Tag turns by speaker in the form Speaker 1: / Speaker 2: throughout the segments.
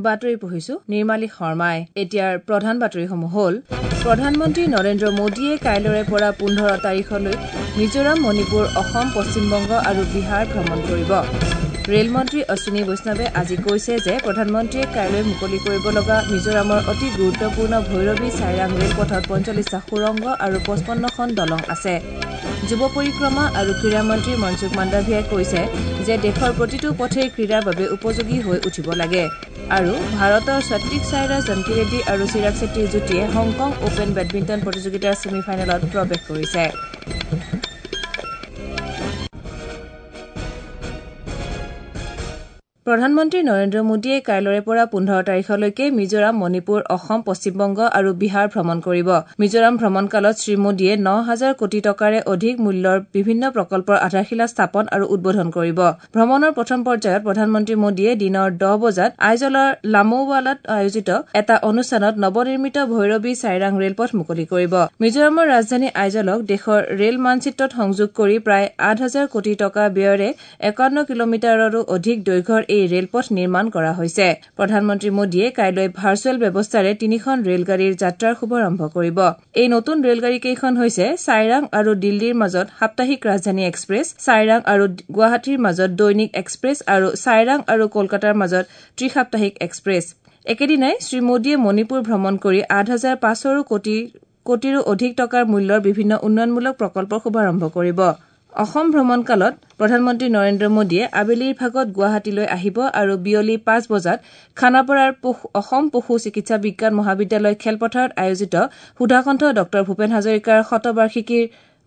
Speaker 1: বাতৰি পঢ়িছো নিৰ্মালী শৰ্মাই। এতিয়াৰ প্ৰধান বাতৰিসমূহ হ'ল: প্ৰধানমন্ত্ৰী নৰেন্দ্ৰ মোদীয়ে কাইলৈৰে পৰা 15 তাৰিখলৈ মিজোৰাম, মণিপুৰ, অসম, পশ্চিমবংগ আৰু বিহাৰ ভ্ৰমণ কৰিব। ৰেলমন্ত্ৰী অশ্বিনী বৈষ্ণৱে আজি কৈছে যে প্ৰধানমন্ত্ৰীয়ে কাইলৈ মুকলি কৰিব লগা মিজোৰামৰ অতি গুৰুত্বপূৰ্ণ ভৈৰৱী চাইৰাং ৰেলপথত 45টা সুৰংগ আৰু 55খন দলং আছে। যুৱ পৰিক্ৰমা আৰু ক্ৰীড়া মন্ত্ৰী মনসুখ মাণ্ডাভিয়াই কৈছে যে দেশৰ প্ৰতিটো পথেই ক্ৰীড়াৰ বাবে উপযোগী হৈ উঠিব লাগে। আৰু ভাৰতৰ স্বাত্বিক সাইৰাজ ৰংকিৰেড্ডী আৰু চিৰাগ চেট্টীৰ যুটীয়ে হংকং অপেন বেডমিণ্টন প্ৰতিযোগিতাৰ ছেমি ফাইনেলত প্ৰৱেশ কৰিছে। প্ৰধানমন্ত্ৰী নৰেন্দ্ৰ মোদীয়ে কাইলৈৰে পৰা 15 তাৰিখলৈকে মিজোৰাম, মণিপুৰ, অসম, পশ্চিমবংগ আৰু বিহাৰ ভ্ৰমণ কৰিব। মিজোৰাম ভ্ৰমণকালত শ্ৰীমোদীয়ে 9,000 কোটি টকাৰে অধিক মূল্যৰ বিভিন্ন প্ৰকল্পৰ আধাৰশিলা স্থাপন আৰু উদ্বোধন কৰিব। ভ্ৰমণৰ প্ৰথম পৰ্যায়ত প্ৰধানমন্ত্ৰী মোদীয়ে দিনৰ 10 বজাত আইজলৰ লামৌৱালাত আয়োজিত এটা অনুষ্ঠানত নৱনিৰ্মিত ভৈৰৱী চাইৰাং ৰেলপথ মুকলি কৰিব। মিজোৰামৰ ৰাজধানী আইজলক দেশৰ ৰেল মানচিত্ৰত সংযোগ কৰি প্ৰায় 8,000 কোটি টকা ব্যয়েৰে 51 কিলোমিটাৰৰো অধিক দৈৰ্ঘ্যৰ এই ৰেলপথ নিৰ্মাণ কৰা হৈছে। প্ৰধানমন্ত্ৰী মোদীয়ে কাইলৈ ভাৰ্চুৱেল ব্যৱস্থাৰে 3খন ৰেলগাড়ীৰ যাত্ৰাৰ শুভাৰম্ভ কৰিব। এই নতুন ৰেলগাড়ীকেইখন হৈছে চাইৰাং আৰু দিল্লীৰ মাজত সাপ্তাহিক ৰাজধানী এক্সপ্ৰেছ, চাইৰাং আৰু গুৱাহাটীৰ মাজত দৈনিক এক্সপ্ৰেছ আৰু চাইৰাং আৰু কলকাতাৰ মাজত ত্ৰিসাপ্তাহিক এক্সপ্ৰেছ। একেদিনাই শ্ৰীমোদীয়ে মণিপুৰ ভ্ৰমণ কৰি 8,500 কোটিৰো অধিক টকাৰ মূল্যৰ বিভিন্ন উন্নয়নমূলক প্ৰকল্পৰ শুভাৰম্ভ কৰিব। অসম ভ্ৰমণকালত প্ৰধানমন্ত্ৰী নৰেন্দ্ৰ মোদীয়ে আবেলিৰ ভাগত গুৱাহাটীলৈ আহিব আৰু বিয়লি 5 বজাত খানাপাৰাৰ অসম পশু চিকিৎসা বিজ্ঞান মহাবিদ্যালয় খেলপথাৰত আয়োজিত সুধাকণ্ঠ ডঃ ভূপেন হাজৰিকাৰ শতবাৰ্ষিকীৰ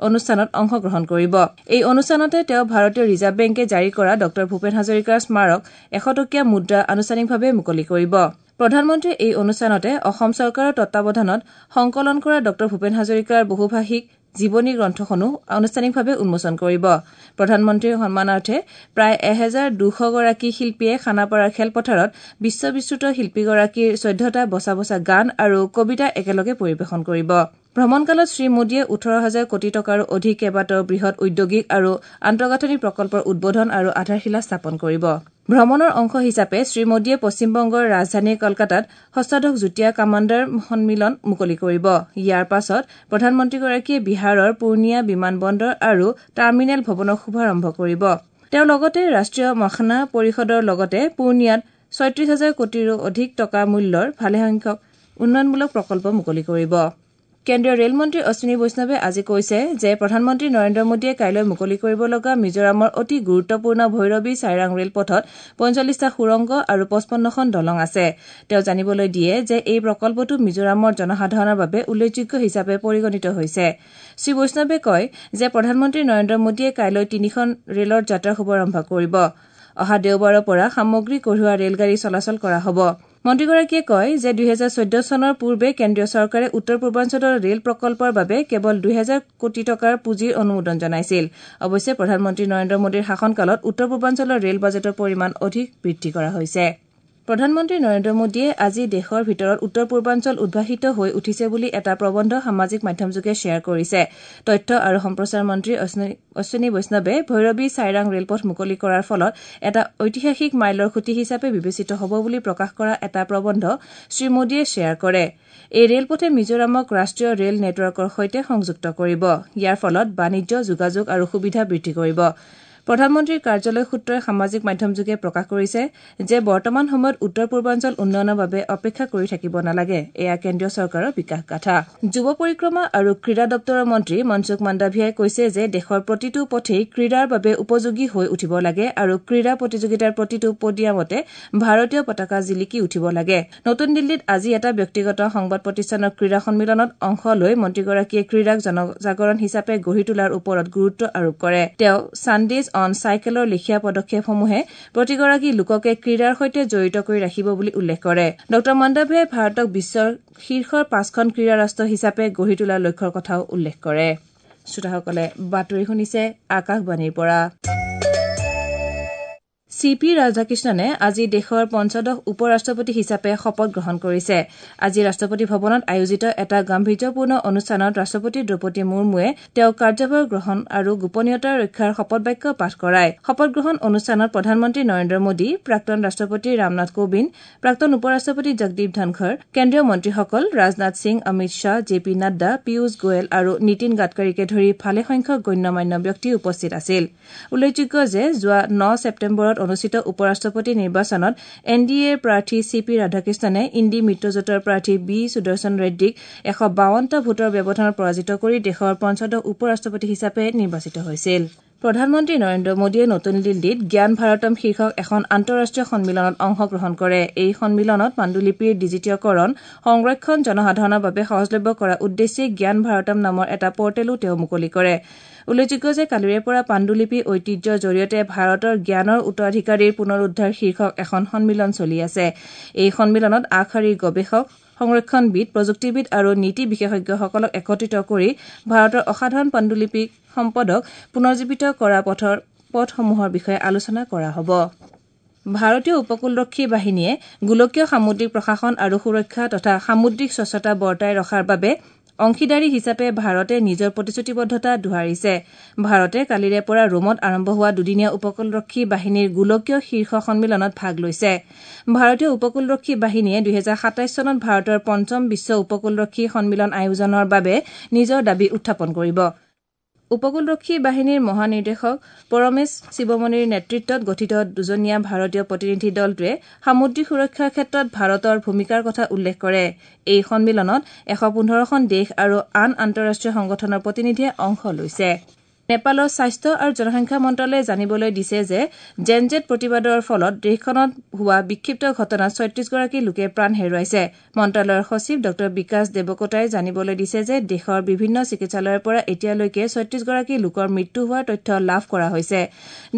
Speaker 1: অনুষ্ঠানত অংশগ্ৰহণ কৰিব। এই অনুষ্ঠানতে তেওঁ ভাৰতীয় ৰিজাৰ্ভ বেংকে জাৰি কৰা ডঃ ভূপেন হাজৰিকাৰ স্মাৰক 100 টকীয়া মুদ্ৰা আনুষ্ঠানিকভাৱে মুকলি কৰিব। প্ৰধানমন্ত্ৰীয়ে এই অনুষ্ঠানতে অসম চৰকাৰৰ তত্বাৱধানত সংকলন কৰা ডঃ ভূপেন হাজৰিকাৰ বহুভাষিক জীৱনী গ্ৰন্থখনো আনুষ্ঠানিকভাৱে উন্মোচন কৰিব। প্ৰধানমন্ত্ৰীৰ সন্মানাৰ্থে প্ৰায় 1,200 গৰাকী শিল্পীয়ে খানাপাৰাৰ খেলপথাৰত বিশ্ববিশ্ৰুত শিল্পীগৰাকীৰ 14টা বচা বচা গান আৰু কবিতা একেলগে পৰিৱেশন কৰিব। ভ্ৰমণকালত শ্ৰীমোদীয়ে 18,000 কোটি টকাৰো অধিক কেইবাটাও বৃহৎ ঔদ্যোগিক আৰু আন্তঃগাঁথনি প্ৰকল্পৰ উদ্বোধন আৰু আধাৰশিলা স্থাপন কৰিব। ভ্ৰমণৰ অংশ হিচাপে শ্ৰীমোদীয়ে পশ্চিমবংগৰ ৰাজধানী কলকাতাত ষষ্ঠদশ যুটীয়া কামাণ্ডাৰ সন্মিলন মুকলি কৰিব। ইয়াৰ পাছত প্ৰধানমন্ত্ৰীগৰাকীয়ে বিহাৰৰ পূৰ্ণিয়া বিমান বন্দৰ আৰু টাৰ্মিনেল ভৱনৰ শুভাৰম্ভ কৰিব। তেওঁ লগতে ৰাষ্ট্ৰীয় মাখনা পৰিষদৰ লগতে পূৰ্ণিয়াত 36,000 কোটিৰো অধিক টকা মূল্যৰ ভালেসংখ্যক উন্নয়নমূলক প্ৰকল্প মুকলি কৰিব। কেন্দ্ৰীয় ৰেলমন্ত্ৰী অশ্বিনী বৈষ্ণৱে আজি কৈছে যে প্ৰধানমন্ত্ৰী নৰেন্দ্ৰ মোদীয়ে কাইলৈ মুকলি কৰিব লগা মিজোৰামৰ অতি গুৰুত্বপূৰ্ণ ভৈৰৱী চাইৰাং ৰেলপথত 45টা সুৰংগ আৰু 55খন দলং আছে। তেওঁ জানিবলৈ দিয়ে যে এই প্ৰকল্পটো মিজোৰামৰ জনসাধাৰণৰ বাবে উল্লেখযোগ্য হিচাপে পৰিগণিত হৈছে। শ্ৰী বৈষ্ণৱে কয় যে প্ৰধানমন্ত্ৰী নৰেন্দ্ৰ মোদীয়ে কাইলৈ 3খন ৰেলৰ যাত্ৰা শুভাৰম্ভ কৰিব। অহা দেওবাৰৰ পৰা সামগ্ৰী কঢ়িওৱা ৰেলগাড়ী চলাচল কৰা হ'ব। মন্ত্ৰীগৰাকীয়ে কয় যে 2014 চনৰ পূৰ্বে কেন্দ্ৰীয় চৰকাৰে উত্তৰ পূৰ্বাঞ্চলৰ ৰেল প্ৰকল্পৰ বাবে কেৱল 2,000 কোটি টকাৰ পুঁজিৰ অনুমোদন জনাইছিল। অৱশ্যে প্ৰধানমন্ত্ৰী নৰেন্দ্ৰ মোদীৰ শাসনকালত উত্তৰ পূৰ্বাঞ্চলৰ ৰেল বাজেটৰ পৰিমাণ অধিক বৃদ্ধি কৰা হৈছে। প্ৰধানমন্ত্ৰী নৰেন্দ্ৰ মোদীয়ে আজি দেশৰ ভিতৰত উত্তৰ পূৰ্বাঞ্চল উদ্ভাসিত হৈ উঠিছে বুলি এটা প্ৰবন্ধ সামাজিক মাধ্যমযোগে শ্বেয়াৰ কৰিছে। তথ্য আৰু সম্প্ৰচাৰ মন্ত্ৰী অশ্বিনী বৈষ্ণৱে ভৈৰৱী চাইৰাং ৰেলপথ মুকলি কৰাৰ ফলত এটা ঐতিহাসিক মাইলৰ খুঁটি হিচাপে বিবেচিত হ'ব বুলি প্ৰকাশ কৰা এটা প্ৰবন্ধ শ্ৰীমোদীয়ে শ্বেয়াৰ কৰে। এই ৰেলপথে মিজোৰামক ৰাষ্ট্ৰীয় ৰেল নেটৱৰ্কৰ সৈতে সংযুক্ত কৰিব। ইয়াৰ ফলত বাণিজ্য, যোগাযোগ আৰু সুবিধা বৃদ্ধি কৰিব। প্ৰধানমন্ত্ৰীৰ কাৰ্যালয় সূত্ৰই সামাজিক মাধ্যমযোগে প্ৰকাশ কৰিছে যে বৰ্তমান সময়ত উত্তৰ পূৰ্বাঞ্চল উন্নয়নৰ বাবে অপেক্ষা কৰি থাকিব নালাগে, এয়া কেন্দ্ৰীয় চৰকাৰৰ বিকাশ গাথা। যুৱ পৰিক্ৰমা আৰু ক্ৰীড়া দপ্তৰৰ মন্ত্ৰী মনসুখ মাণ্ডাভিয়াই কৈছে যে দেশৰ প্ৰতিটো পথেই ক্ৰীড়াৰ বাবে উপযোগী হৈ উঠিব লাগে আৰু ক্ৰীড়া প্ৰতিযোগিতাৰ প্ৰতিটো পডিয়ামতে ভাৰতীয় পতাকা জিলিকি উঠিব লাগে। নতুন দিল্লীত আজি এটা ব্যক্তিগত সংবাদ প্ৰতিষ্ঠানৰ ক্ৰীড়া সন্মিলনত অংশ লৈ মন্ত্ৰীগৰাকীয়ে ক্ৰীড়াক জনজাগৰণ হিচাপে গঢ়ি তোলাৰ ওপৰত গুৰুত্ব আৰোপ কৰে। তেওঁ ছানডেজ অন চাইকেলৰ লেখীয়া পদক্ষেপসমূহে প্ৰতিগৰাকী লোককে ক্ৰীড়াৰ সৈতে জড়িত কৰি ৰাখিব বুলি উল্লেখ কৰে। ডঃ মাণ্ডাভিয়াই ভাৰতক বিশ্বৰ শীৰ্ষৰ 5খন ক্ৰীড়া ৰাষ্ট্ৰ হিচাপে গঢ়ি তোলাৰ লক্ষ্যৰ কথাও উল্লেখ কৰে। শ্ৰোতাসকলে বাতৰি শুনিছে আকাশবাণীৰ পৰা। চি পি ৰাধাকৃষ্ণনে আজি দেশৰ পঞ্চদশ উপ ৰাষ্ট্ৰপতি হিচাপে শপত গ্ৰহণ কৰিছে। আজি ৰাষ্ট্ৰপতি ভৱনত আয়োজিত এটা গাম্ভীৰ্যপূৰ্ণ অনুষ্ঠানত ৰাষ্ট্ৰপতি দ্ৰৌপদী মুৰ্মুৱে তেওঁক কাৰ্যভাৰ গ্ৰহণ আৰু গোপনীয়তা ৰক্ষাৰ শপতবাক্য পাঠ কৰায়। শপত গ্ৰহণ অনুষ্ঠানত প্ৰধানমন্ত্ৰী নৰেন্দ্ৰ মোদী, প্ৰাক্তন ৰাষ্ট্ৰপতি ৰামনাথ কোবিন্দ, প্ৰাক্তন উপ ৰাষ্ট্ৰপতি জগদীপ ধনখৰ, কেন্দ্ৰীয় মন্ত্ৰীসকল ৰাজনাথ সিং, অমিত শ্বাহ, জে পি নাড্ডা, পীয়ুষ গোৱেল আৰু নীতিন গাডকাৰীকে ধৰি ভালেসংখ্যক গণ্যমান্য ব্যক্তি উপস্থিত আছিল। উল্লেখযোগ্য যে যোৱা ৯ ছেপ্টেম্বৰত অনুষ্ঠিত উপ ৰাষ্ট্ৰপতি নিৰ্বাচনত এন ডি এৰ প্ৰাৰ্থী চি পি ৰাধাকৃষ্ণনে ইণ্ডি মিত্ৰজোঁটৰ প্ৰাৰ্থী বি সুদৰ্শন ৰেড্ডীক ১৫২টা ভোটৰ ব্যৱধানত পৰাজিত কৰি দেশৰ পঞ্চদশ উপ ৰাষ্ট্ৰপতি হিচাপে নিৰ্বাচিত হৈছিল। প্ৰধানমন্ত্ৰী নৰেন্দ্ৰ মোদীয়ে নতুন দিল্লীত জ্ঞান ভাৰতম শীৰ্ষক এখন আন্তঃৰাষ্ট্ৰীয় সন্মিলনত অংশগ্ৰহণ কৰে। এই সন্মিলনত পাণ্ডুলিপিৰ ডিজিটীয়কৰণ, সংৰক্ষণ, জনসাধাৰণৰ বাবে সহজলভ্য কৰাৰ উদ্দেশ্যে জ্ঞান ভাৰতম নামৰ এটা পৰ্টেলো তেওঁ মুকলি কৰে। উল্লেখযোগ্য যে কালিৰে পৰা পাণ্ডুলিপি ঐতিহ্যৰ জৰিয়তে ভাৰতৰ জ্ঞানৰ উত্তৰাধিকাৰীৰ পুনৰুদ্ধাৰ শীৰ্ষক এখন সন্মিলন চলি আছে। এই সন্মিলনত আগশাৰীৰ গৱেষক, সংৰক্ষণবিদ, প্ৰযুক্তিবিদ আৰু নীতি বিশেষজ্ঞসকলক একত্ৰিত কৰি ভাৰতৰ অসাধাৰণ পাণ্ডুলিপি সম্পদক পুনৰ্জীৱিত কৰা পথসমূহৰ বিষয়ে আলোচনা কৰা হ'ব। ভাৰতীয় উপকূলৰক্ষী বাহিনীয়ে গোলকীয় সামুদ্ৰিক প্ৰশাসন আৰু সুৰক্ষা তথা সামুদ্ৰিক স্বচ্ছতা বৰ্তাই ৰখাৰ বাবে অংশীদাৰী হিচাপে ভাৰতে নিজৰ প্ৰতিশ্ৰুতিবদ্ধতা দোহাৰিছে। ভাৰতে কালিৰে পৰা ৰোমত আৰম্ভ হোৱা দুদিনীয়া উপকূলৰক্ষী বাহিনীৰ গোলকীয় শীৰ্ষ সন্মিলনত ভাগ লৈছে। ভাৰতীয় উপকূলৰক্ষী বাহিনীয়ে ২০২৭ চনত ভাৰতৰ পঞ্চম বিশ্ব উপকূলৰক্ষী সন্মিলন আয়োজনৰ বাবে নিজৰ দাবী উত্থাপন কৰিব। উপকূলৰক্ষী বাহিনীৰ মহানিৰ্দেশক পৰমেশ শিৱমণিৰ নেতৃত্বত গঠিত দুজনীয়া ভাৰতীয় প্ৰতিনিধি দলটোৱে সামুদ্ৰিক সুৰক্ষাৰ ক্ষেত্ৰত ভাৰতৰ ভূমিকাৰ কথা উল্লেখ কৰে। এই সন্মিলনত ১১৫খন দেশ আৰু আন আন্তঃৰাষ্ট্ৰীয় সংগঠনৰ প্ৰতিনিধিয়ে অংশ লৈছে। নেপালৰ স্বাস্থ্য আৰু জনসংখ্যা মন্ত্ৰালয়ে জানিবলৈ দিছে যে জেন জেড প্ৰতিবাদৰ ফলত দেশখনত হোৱা বিক্ষিপ্ত ঘটনাত ৩৬গৰাকী লোকে প্ৰাণ হেৰুৱাইছে। মন্ত্ৰালয়ৰ সচিব ডঃ বিকাশ দেৱকোটাই জানিবলৈ দিছে যে দেশৰ বিভিন্ন চিকিৎসালয়ৰ পৰা এতিয়ালৈকে ৩৬গৰাকী লোকৰ মৃত্যু হোৱাৰ তথ্য লাভ কৰা হৈছে।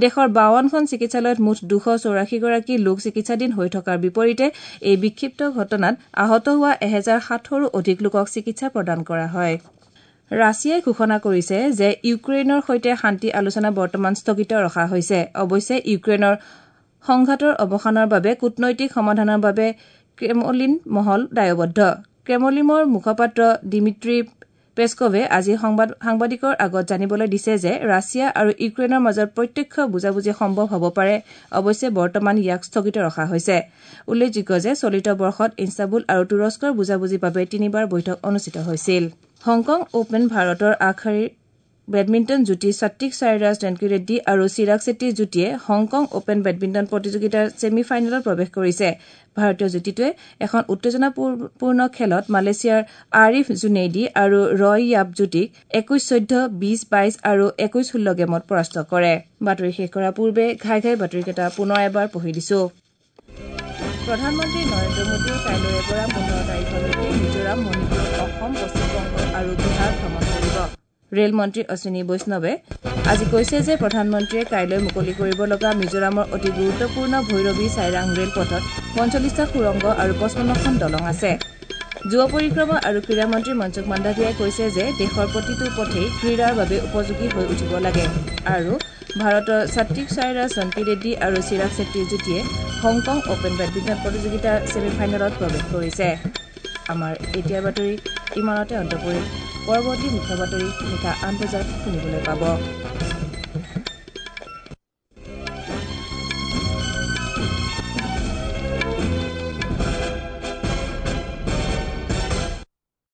Speaker 1: দেশৰ ৫২খন চিকিৎসালয়ত মুঠ ২৮৪গৰাকী লোক চিকিৎসাধীন হৈ থকাৰ বিপৰীতে এই বিক্ষিপ্ত ঘটনাত আহত হোৱা ১৭০০ৰো অধিক লোকক চিকিৎসা প্ৰদান কৰা হয়। ৰাছিয়াই ঘোষণা কৰিছে যে ইউক্ৰেইনৰ সৈতে শান্তি আলোচনা বৰ্তমান স্থগিত ৰখা হৈছে। অৱশ্যে ইউক্ৰেইনৰ সংঘাতৰ অৱসানৰ বাবে কূটনৈতিক সমাধানৰ বাবে ক্ৰেমলিন মহল দায়বদ্ধ। ক্ৰেমলিনৰ মুখপাত্ৰ দিমিত্ৰী পেস্কভে আজি সাংবাদিকৰ আগত জানিবলৈ দিছে যে ৰাছিয়া আৰু ইউক্ৰেইনৰ মাজত প্ৰত্যক্ষ বুজাবুজি সম্ভৱ হ'ব পাৰে, অৱশ্যে বৰ্তমান ইয়াক স্থগিত ৰখা হৈছে। উল্লেখযোগ্য যে চলিত বৰ্ষত ইস্তানবুল আৰু তুৰস্কৰ বুজাবুজিৰ বাবে তিনিবাৰ বৈঠক অনুষ্ঠিত হৈছিল। হংকং অপেন ভাৰতৰ আগশাৰীৰ বেডমিণ্টন যুটী সাত্বিক সাইৰাজ ৰেংকিৰেড্ডী আৰু চিৰাগ চেট্টীৰ যুটীয়ে হংকং অপেন বেডমিণ্টন প্ৰতিযোগিতাৰ ছেমি ফাইনেলত প্ৰৱেশ কৰিছে। ভাৰতীয় যুটীটোৱে এখন উত্তেজনাপূৰ্ণ খেলত মালয়েছিয়াৰ আৰিফ জুনেইডি আৰু ৰয় য়াপ যুটীক ২১-১৪, ২০-২২ আৰু ২১-১৬ গেমত পৰাস্ত কৰে। বাতৰি শেষ কৰাৰ পূৰ্বে ঘাই ঘাই বাতৰিকেইটা পুনৰ এবাৰ পঢ়ি দিছো। প্ৰধানমন্ত্ৰী নৰেন্দ্ৰ মোদীয়ে কাইলৈৰে পৰা ১৫ তাৰিখলৈকে মিজোৰাম, মণিপুৰ, অসম, পশ্চিমবংগ আৰু বিহাৰ ভ্ৰমণ কৰিব। ৰেল মন্ত্ৰী অশ্বিনী বৈষ্ণৱে আজি কৈছে যে প্ৰধানমন্ত্ৰীয়ে কাইলৈ মুকলি কৰিব লগা মিজোৰামৰ অতি গুৰুত্বপূৰ্ণ ভৈৰৱী চাইৰাং ৰেলপথত ৪৫টা সুৰংগ আৰু ৫৫খন দলং আছে। যুৱ পৰিক্ৰমা আৰু ক্ৰীড়া মন্ত্ৰী মনসুখ মাণ্ডাভিয়াই কৈছে যে দেশৰ প্ৰতিটো পথেই ক্ৰীড়াৰ বাবে উপযোগী হৈ উঠিব লাগে আৰু ভাৰতৰ সাত্বিক সাইৰাজ ৰংকিৰেড্ডী আৰু চিৰাগ চেট্টীৰ যুটীয়ে হংকং অপেন বেডমিণ্টন প্ৰতিযোগিতাৰ ছেমি ফাইনেলত প্ৰৱেশ কৰিছে। আমাৰ এতিয়াৰ বাতৰি ইমানতে অন্ত পৰিল। পৰৱৰ্তী মুখ্য বাতৰি নিশা ৮ বজাত শুনিবলৈ পাব।